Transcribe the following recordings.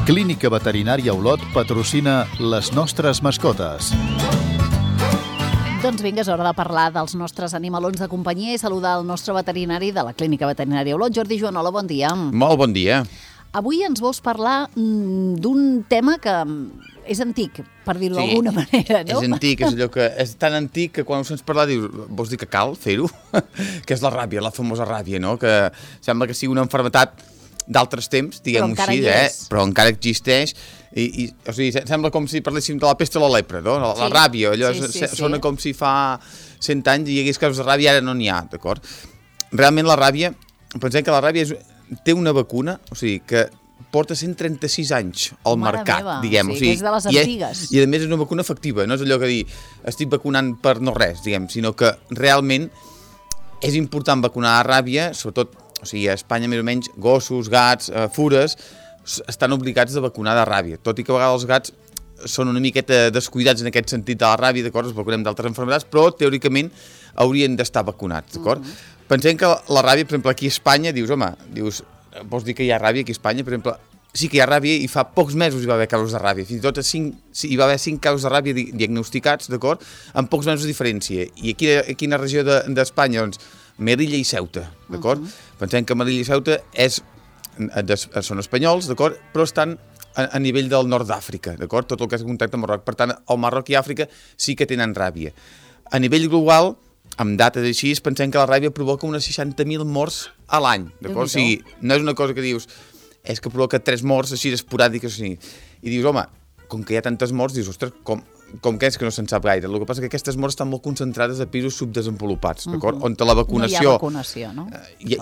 Clínica Veterinària Olot patrocina les nostres mascotes. Doncs vinga, és hora de parlar dels nostres animalons de companyia i saludar el nostre veterinari de la Clínica Veterinària Olot, Jordi Joanola, bon dia. Molt bon dia. Avui ens vols parlar d'un tema que és antic, per dir-ho d'alguna manera, no? És antic, és allò que és tan antic que quan ho sents parlar dius, vols dir que cal fer-ho? Que és la ràbia, la famosa ràbia, no? Que sembla que sigui una malaltia d'altres temps, diguem-ho així, però encara existeix. O sigui, sembla com si parléssim de la pesta o la lepra, no? La ràbia, allò sona com si fa 100 anys hi hagués casos de ràbia, ara no n'hi ha, d'acord? Realment la ràbia, pensem que la ràbia té una vacuna, o sigui, que porta 136 anys al mercat, diguem. O sigui, que és de les antigues. I a més és una vacuna efectiva, no és allò que dir estic vacunant per no res, diguem, sinó que realment és important vacunar la ràbia, sobretot, o sigui, a Espanya més o menys, gossos, gats, fures, estan obligats a vacunar de ràbia, tot i que a vegades els gats són una miqueta descuidats en aquest sentit de la ràbia, d'acord, els vacunem d'altres malalties, però teòricament haurien d'estar vacunats, d'acord? Pensem que la ràbia, per exemple, aquí a Espanya, dius, vols dir que hi ha ràbia aquí a Espanya? Per exemple, sí que hi ha ràbia i fa pocs mesos hi va haver casos de ràbia, fins i tot hi va haver 5 casos de ràbia diagnosticats, d'acord, en pocs mesos de diferència. I aquí a quina regió d'Espanya? Doncs Melilla i Ceuta, d'acord? Pensem que Melilla i Ceuta són espanyols, d'acord, però estan a nivell del nord d'Àfrica, d'acord? Tot el que és contacte amb Marroc. Per tant, el Marroc i Àfrica sí que tenen ràbia. A nivell global, amb dates així, pensem que la ràbia provoca unes 60.000 morts a l'any, d'acord? O sigui, no és una cosa que dius, és que provoca 3 morts així esporàdiques, i dius, home, com que hi ha tantes morts, dius, ostres, com que és que no se'n sap gaire? El que passa és que aquestes morts estan molt concentrades a països subdesenvolupats, d'acord? On la vacunació... No hi ha vacunació, no?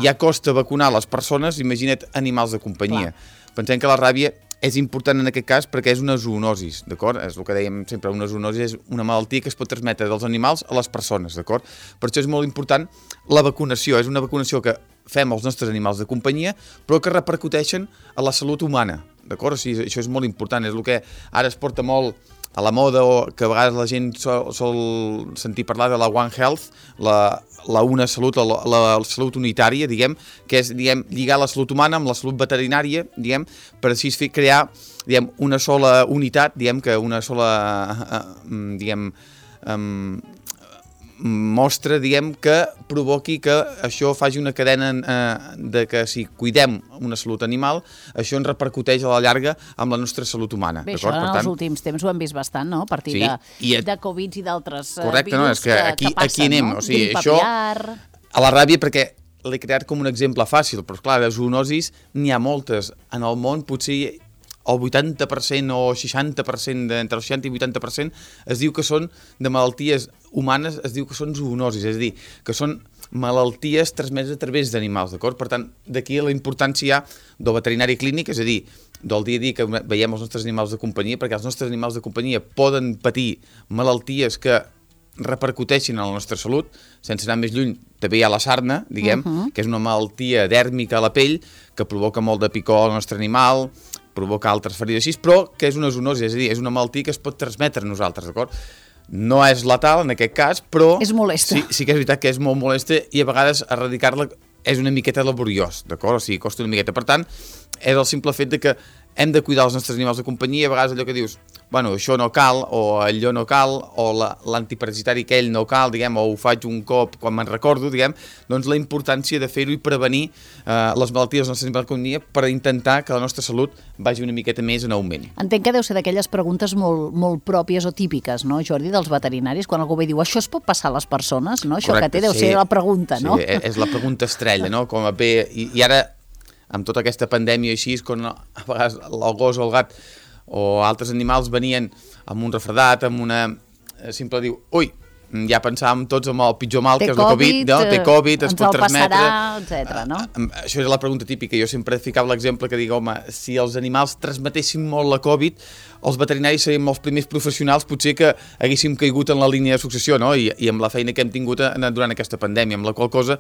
Ja costa vacunar les persones, imagina't animals de companyia. Pensem que la ràbia és important en aquest cas perquè és una zoonosis, d'acord? És el que dèiem sempre, una zoonosi és una malaltia que es pot transmetre dels animals a les persones, d'acord? Per això és molt important la vacunació, és una vacunació que fem als nostres animals de companyia, però que repercuteixen a la salut humana, d'acord? O sigui, això és molt important, és el que ara es porta molt a la moda o que a vegades la gent sol sentir parlar de la One Health, la una salut, la salut unitària, diguem, que és, lligar la salut humana amb la salut veterinària, diguem, per així crear, una sola unitat, que una sola, mostra, que provoqui que això faci una cadena de que si cuidem una salut animal, això ens repercuteix a la llarga amb la nostra salut humana. Bé, això en els últims temps ho hem vist bastant, no? A partir de Covid i d'altres virus que passen, no? O sigui, això a la ràbia, perquè l'he creat com un exemple fàcil, però clar, de zoonosis n'hi ha moltes. En el món potser el 80% o 60%, entre el 60 i 80%, es diu que són de malalties humanes, es diu que són zoonosis, és a dir, que són malalties transmeses a través d'animals, d'acord? Per tant, d'aquí la importància del veterinari clínic, és a dir, del dia a dia que veiem els nostres animals de companyia, perquè els nostres animals de companyia poden patir malalties que repercuteixin en la nostra salut, sense anar més lluny, també hi ha la sarna, que és una malaltia dèrmica a la pell, que provoca molt de picor al nostre animal, provoca altres ferides així, però que és una zoonosi, és a dir, és una malaltia que es pot transmetre a nosaltres, d'acord? No és letal en aquest cas, però... És molesta. Sí que és veritat que és molt molesta i a vegades erradicar-la és una miqueta laboriós, d'acord? O sigui, costa una miqueta. Per tant, és el simple fet de que hem de cuidar els nostres animals de companyia, a vegades allò que dius, bueno, això no cal, o allò no cal, o l'antiparasitari aquell no cal, o ho faig un cop quan me'n recordo, doncs la importància de fer-ho i prevenir les malalties dels nostres animals de companyia per intentar que la nostra salut vagi una miqueta més en augment. Entenc que deu ser d'aquelles preguntes molt pròpies o típiques, no, Jordi, dels veterinaris, quan algú ve i diu, això es pot passar a les persones, no? Això que té deu ser la pregunta, no? Sí, és la pregunta estrella, no? Com a bé, i ara, amb tota aquesta pandèmia així, quan a vegades el gos o el gat o altres animals venien amb un refredat, amb una... simple diu, ui, ja pensàvem tots amb el pitjor mal, que és el Covid, no? Té Covid, es pot transmetre... Ens el passarà, etc. no? Això és la pregunta típica. Jo sempre ficava l'exemple que dic, home, si els animals transmetessin molt la Covid, els veterinaris serien els primers professionals potser que haguéssim caigut en la línia de successió, no? I amb la feina que hem tingut durant aquesta pandèmia, amb la qual cosa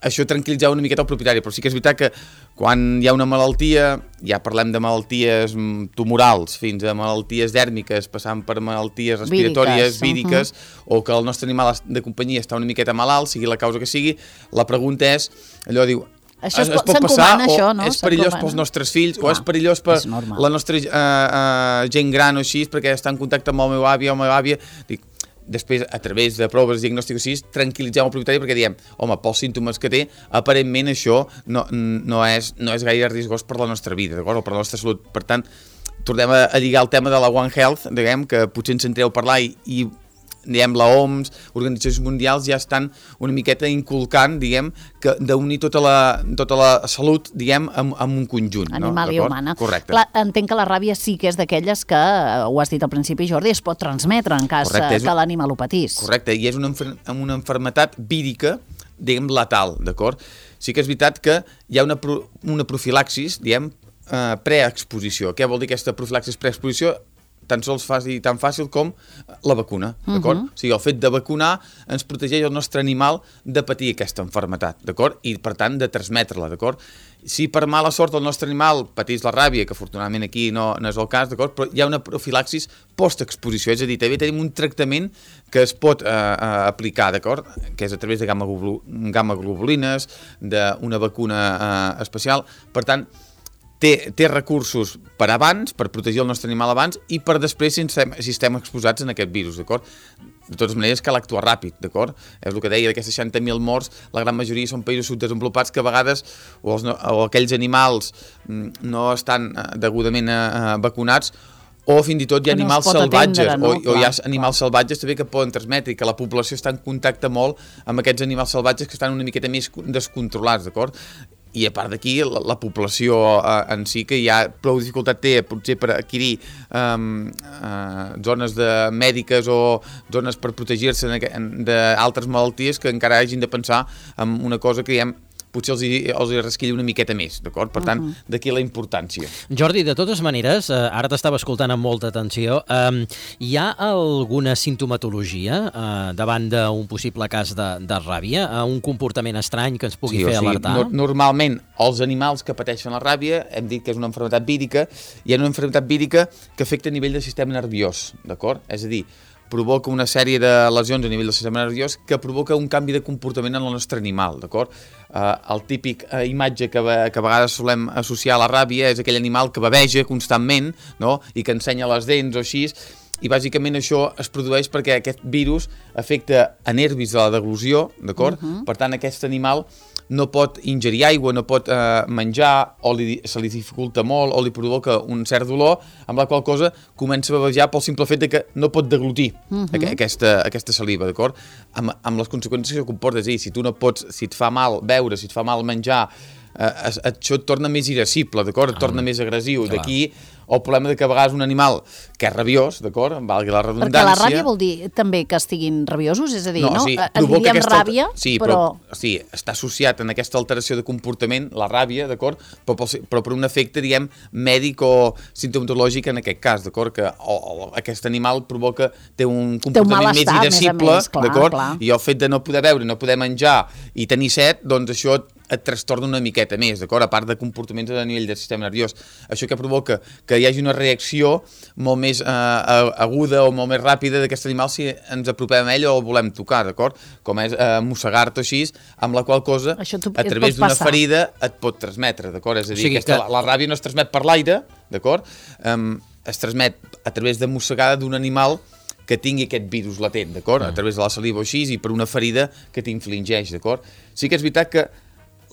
això tranquil·litzava una miqueta el propietari, però sí que és veritat que quan hi ha una malaltia, ja parlem de malalties tumorals fins a malalties dèrmiques, passant per malalties respiratòries, víriques, o que el nostre animal de companyia està una miqueta malalt, sigui la causa que sigui, la pregunta és, allò diu, Això es pot passar, això, no? O és perillós pels nostres fills, o és perillós per la nostra gent gran o així, perquè està en contacte amb el meu avi o la meva àvia. Dic, després, a través de proves diagnòstiques així, tranquil·litzem el propietari perquè diem, home, pels símptomes que té, aparentment això no és gaire riscós per la nostra vida, d'acord? O per la nostra salut. Per tant, tornem a lligar el tema de la One Health, diguem, que potser ens sentireu parlar i diguem, la OMS, organitzacions mundials ja estan una miqueta inculcant, diguem, que d'unir tota la salut, diguem, amb un conjunt. Animal i humana. Correcte. Clar, entenc que la ràbia sí que és d'aquelles que, ho has dit al principi, Jordi, es pot transmetre en cas que l'animal ho patís. Correcte, i és una malaltia vírica, diguem, letal, d'acord? Sí que és veritat que hi ha una profilaxis, diguem, preexposició. Què vol dir aquesta profilaxis preexposició? Tan sols tan fàcil com la vacuna, d'acord? O sigui, el fet de vacunar ens protegeix el nostre animal de patir aquesta malaltia, d'acord? I, per tant, de transmetre-la, d'acord? Si per mala sort el nostre animal patís la ràbia, que afortunadament aquí no és el cas, d'acord? Però hi ha una profilaxis postexposició, és a dir, també tenim un tractament que es pot aplicar, d'acord? Que és a través de gamma-globulines, d'una vacuna especial. Per tant, té recursos per abans, per protegir el nostre animal abans, i per després si estem exposats en aquest virus, d'acord? De totes maneres, cal actuar ràpid, d'acord? És el que deia, d'aquestes 60.000 morts, la gran majoria són països subdesenvolupats que a vegades, o aquells animals no estan degudament vacunats, o fins i tot hi ha animals salvatges, o hi ha animals salvatges també que poden transmetre, i que la població està en contacte molt amb aquests animals salvatges que estan una miqueta més descontrolats, d'acord? I a part d'aquí, la població en si, que ja prou dificultat té potser per adquirir zones mèdiques o zones per protegir-se d'altres malalties, que encara hagin de pensar en una cosa que diguem potser els rasquilla una miqueta més, d'acord? Per tant, d'aquí la importància. Jordi, de totes maneres, ara t'estava escoltant amb molta atenció, hi ha alguna simptomatologia davant d'un possible cas de ràbia? Un comportament estrany que ens pugui fer alertar? Normalment, els animals que pateixen la ràbia, hem dit que és una malaltia vírica, hi ha una malaltia vírica que afecta a nivell del sistema nerviós, d'acord? És a dir, provoca una sèrie de lesions a nivell del sistema nerviós que provoca un canvi de comportament en el nostre animal, d'acord? El típic imatge que a vegades solem associar a la ràbia és aquell animal que baveja constantment, no? I que ensenya les dents o així, i bàsicament això es produeix perquè aquest virus afecta a nervis de la deglució, d'acord? Per tant, aquest animal no pot ingerir aigua, no pot menjar, o se li dificulta molt, o li provoca un cert dolor, amb la qual cosa comença a bavejar pel simple fet que no pot deglutir aquesta saliva, d'acord? Amb les conseqüències que comporta, és a dir, si tu no pots, si et fa mal beure, si et fa mal menjar, això et torna més irascible, d'acord? Et torna més agressiu. D'aquí el problema que a vegades un animal que és rabiós, d'acord? Valgui la redundància... Perquè la ràbia vol dir també que estiguin rabiosos? És a dir, no? En diríem ràbia, però... Sí, està associat en aquesta alteració de comportament, la ràbia, d'acord? Però per un efecte, diguem, mèdic o sintomatològic en aquest cas, d'acord? Que aquest animal té un comportament més irascible, d'acord? I el fet de no poder beure, no poder menjar i tenir set, doncs això et trastorna una miqueta més, d'acord? A part de comportaments a nivell del sistema nerviós. Això que provoca que hi hagi una reacció molt més aguda o molt més ràpida d'aquest animal si ens apropem a ell o el volem tocar, d'acord? Com és mossegar-te així, amb la qual cosa, a través d'una ferida, et pot transmetre, d'acord? És a dir, la ràbia no es transmet per l'aire, d'acord? Es transmet a través de mossegada d'un animal que tingui aquest virus latent, d'acord? A través de la saliva o així, i per una ferida que t'infligeix, d'acord? Sí que és veritat que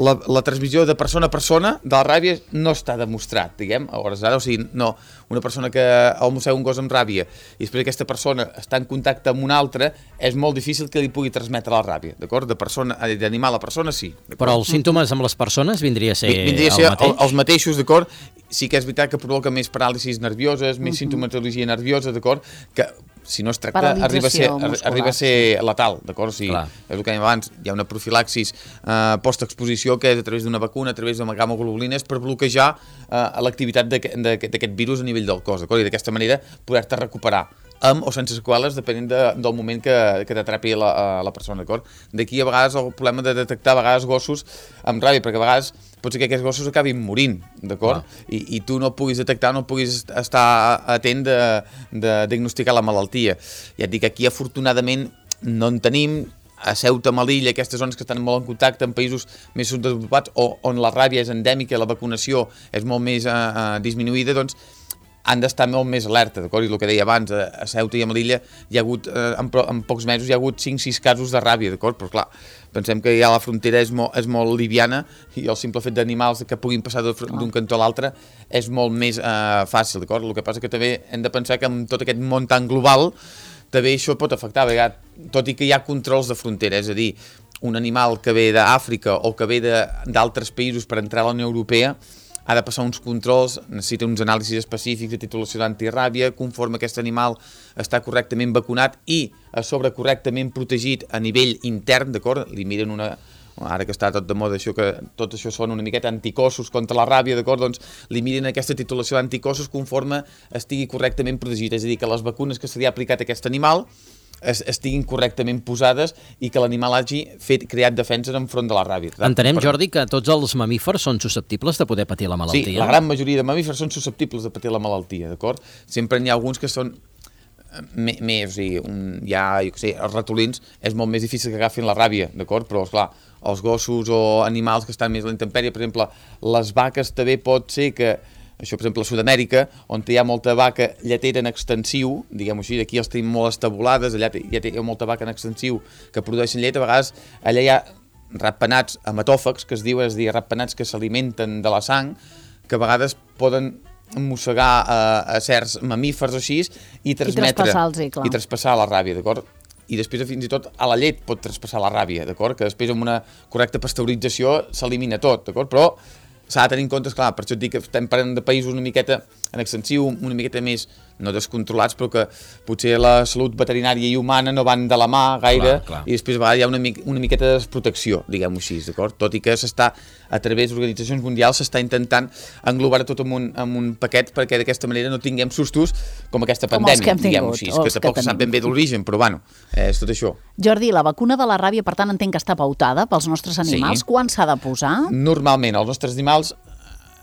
la transmissió de persona a persona de la ràbia no està demostrat, diguem, a hores d'ara, o sigui, no, una persona que mossega un gos amb ràbia i després aquesta persona està en contacte amb una altra, és molt difícil que li pugui transmetre la ràbia, d'acord? D'animal a persona, sí. Però els símptomes amb les persones vindria a ser el mateix? Els mateixos, d'acord? Sí que és veritat que provoca més paràlisis nervioses, més sintomatologia nerviosa, d'acord? Que si no es tracta, arriba a ser letal, d'acord? O sigui, és el que dèiem abans, hi ha una profilaxis postexposició que és a través d'una vacuna, a través de gamma-globulines, per bloquejar l'activitat d'aquest virus a nivell del cos, d'acord? I d'aquesta manera poder-te recuperar amb o sense seqüeles, depenent del moment que t'atrapi la persona, d'acord? D'aquí a vegades el problema de detectar a vegades gossos amb ràbia, perquè a vegades pot ser que aquests gossos acabin morint, d'acord? I tu no puguis detectar, no puguis estar atent de diagnosticar la malaltia. Ja et dic, aquí afortunadament no en tenim, a Ceuta, Melilla, aquestes zones que estan molt en contacte amb països més subdesenvolupats o on la ràbia és endèmica i la vacunació és molt més disminuïda, doncs han d'estar molt més alerta, d'acord? I el que deia abans, a Ceuta i a Melilla hi ha hagut, en pocs mesos hi ha hagut 5-6 casos de ràbia, d'acord? Però clar, pensem que ja la frontera és molt liviana i el simple fet d'animals que puguin passar d'un cantó a l'altre és molt més fàcil, d'acord? El que passa que també hem de pensar que amb tot aquest món tan global també això pot afectar, tot i que hi ha controls de frontera, és a dir, un animal que ve d'Àfrica o que ve d'altres països per entrar a la Unió Europea ha de passar uns controls, necessita uns anàlisis específics de titulació d'antiràbia, conforme aquest animal està correctament vacunat i a sobre correctament protegit a nivell intern, d'acord? Li miren ara que està tot de moda això, que tot això són una miqueta anticossos contra la ràbia, d'acord? Doncs li miren aquesta titulació d'anticossos conforme estigui correctament protegit, és a dir, que les vacunes que se li ha aplicat a aquest animal estiguin correctament posades i que l'animal hagi creat defenses enfront de la ràbia. Entenem, Jordi, que tots els mamífers són susceptibles de poder patir la malaltia? Sí, la gran majoria de mamífers són susceptibles de patir la malaltia, d'acord? Sempre n'hi ha alguns que són més, o sigui, els ratolins és molt més difícil que agafin la ràbia, d'acord? Però, esclar, els gossos o animals que estan més a la intempèrie, per exemple, les vaques també pot ser que això, per exemple, a Sud-amèrica, on hi ha molta vaca lletera en extensiu, diguem-ho així, aquí els tenim molt estabulades, allà hi ha molta vaca en extensiu que produeixen llet, a vegades allà hi ha ratpenats hematòfags, que es diu, és a dir, ratpenats que s'alimenten de la sang, que a vegades poden mossegar a certs mamífers o així i traspassar la ràbia, d'acord? I després fins i tot a la llet pot traspassar la ràbia, d'acord? Que després amb una correcta pasteurització s'elimina tot, d'acord? Però s'ha de tenir en compte, esclar, per això et dic que estem parlant de països una miqueta en extensiu, una miqueta més, no descontrolats, però que potser la salut veterinària i humana no van de la mà gaire, clar. I després hi ha una miqueta de desprotecció, diguem-ho així, d'acord? Tot i que a través d'organitzacions mundials s'està intentant englobar tot en un paquet perquè d'aquesta manera no tinguem sustos com aquesta pandèmia, diguem-ho així, que tampoc se sap ben bé d'origen, però bueno, és tot això. Jordi, la vacuna de la ràbia, per tant, entenc que està pautada pels nostres animals. Sí. Quan s'ha de posar? Normalment, els nostres animals,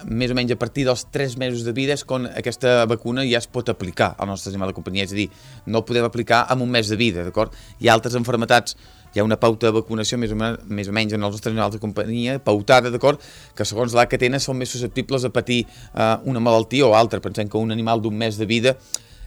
més o menys a partir dels 3 mesos de vida és quan aquesta vacuna ja es pot aplicar al nostre animal de companyia, és a dir, no el podem aplicar en un mes de vida, d'acord? Hi ha altres malalties, hi ha una pauta de vacunació més o menys en els nostres animals de companyia, pautada, d'acord? Que segons l'edat que tenen són més susceptibles a patir una malaltia o altra. Pensem que un animal d'un mes de vida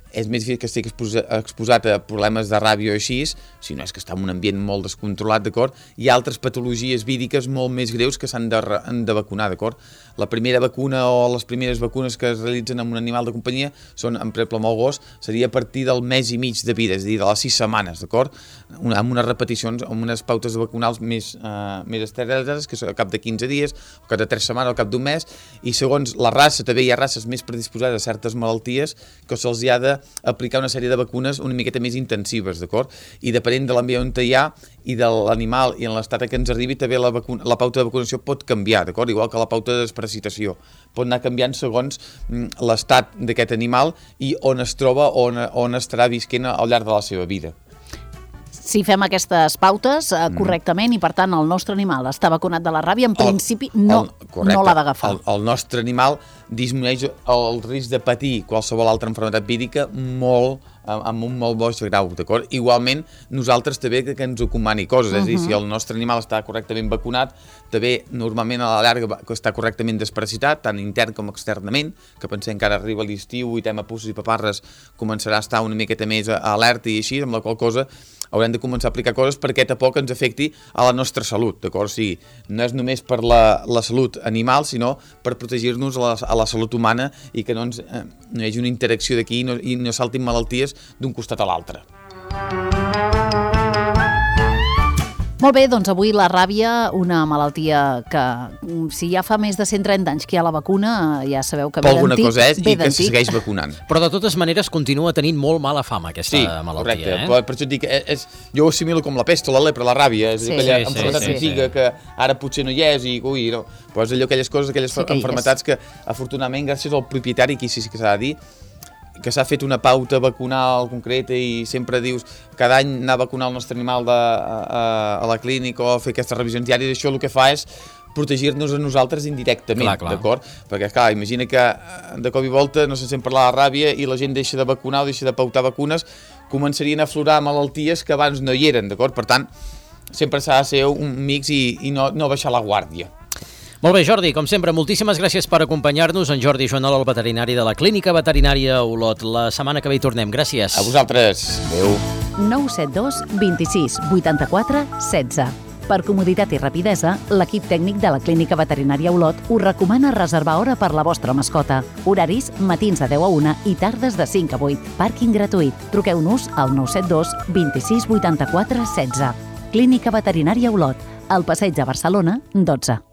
és més difícil que estigui exposat a problemes de ràbia o així, si no és que està en un ambient molt descontrolat, d'acord? Hi ha altres patologies víriques molt més greus que s'han de vacunar, d'acord? La primera vacuna o les primeres vacunes que es realitzen amb un animal de companyia són, per exemple, amb el gos, seria a partir del mes i mig de vida, és a dir, de les 6 setmanes, d'acord? Amb unes repeticions, amb unes pautes vacunals més estrictes, que són al cap de 15 dies, al cap de 3 setmanes, al cap d'un mes, i segons la raça, també hi ha races més predisposades a certes malalties que se'ls hi ha d'aplicar una sèrie de vacunes una miqueta més intensives, d'acord? I depenent de l'ambient on hi ha i de l'animal i en l'estat que ens arribi, també la pauta de vacunació pot canviar, d'acord? Igual que la pauta de desparasitació. Pot anar canviant segons l'estat d'aquest animal i on es troba, on estarà visquent al llarg de la seva vida. Si fem aquestes pautes correctament i, per tant, el nostre animal està vacunat de la ràbia, en principi no l'ha d'agafar. El nostre animal disminueix el risc de patir qualsevol altra malaltia vírica amb un molt baix grau, d'acord? Igualment, nosaltres també que ens recomani coses, és a dir, si el nostre animal està correctament vacunat, també normalment a la llarga està correctament desparasitat, tant intern com externament, que pensem que ara arriba l'estiu i tema puces i paparres començarà a estar una miqueta més alerta i així, amb la qual cosa haurem de començar a aplicar coses perquè tampoc ens afecti a la nostra salut, d'acord? O sigui, no és només per la salut animal, sinó per protegir-nos a la salut humana i que no hi hagi una interacció d'aquí i no saltin malalties d'un costat a l'altre. Molt bé, doncs avui la ràbia, una malaltia que si ja fa més de 130 anys que hi ha la vacuna, ja sabeu que ve d'antic. Alguna cosa és i que se segueix vacunant. Però de totes maneres continua tenint molt mala fama aquesta malaltia. Sí, correcte. Per això et dic, jo ho assimilo com la pest o la lepra, la ràbia, és aquella malaltia antiga que ara potser no hi és i no. Però és allò, aquelles coses, aquelles malalties que afortunadament gràcies al propietari, aquí sí que s'ha de dir, que s'ha fet una pauta vacunal concreta i sempre dius cada any anar a vacunar el nostre animal a la clínica o fer aquestes revisions diàries, això el que fa és protegir-nos a nosaltres indirectament, d'acord? Perquè, clar, imagina que de cop i volta no se sent parlar de ràbia i la gent deixa de vacunar o deixa de pautar vacunes, començarien a aflorar malalties que abans no hi eren, d'acord? Per tant, sempre s'ha de ser un mix i no baixar la guàrdia. Molt bé, Jordi, com sempre, moltíssimes gràcies per acompanyar-nos. En Jordi Joanol, el veterinari de la Clínica Veterinària Olot. La setmana que ve hi tornem. Gràcies. A vosaltres. Adéu. 972 26 84 16. Per comoditat i rapidesa, l'equip tècnic de la Clínica Veterinària Olot us recomana reservar hora per la vostra mascota. Horaris matins de 10 a 1 i tardes de 5 a 8. Pàrquing gratuït. Truqueu-nos al 972 26 84 16. Clínica Veterinària Olot, al Passeig de Barcelona, 12.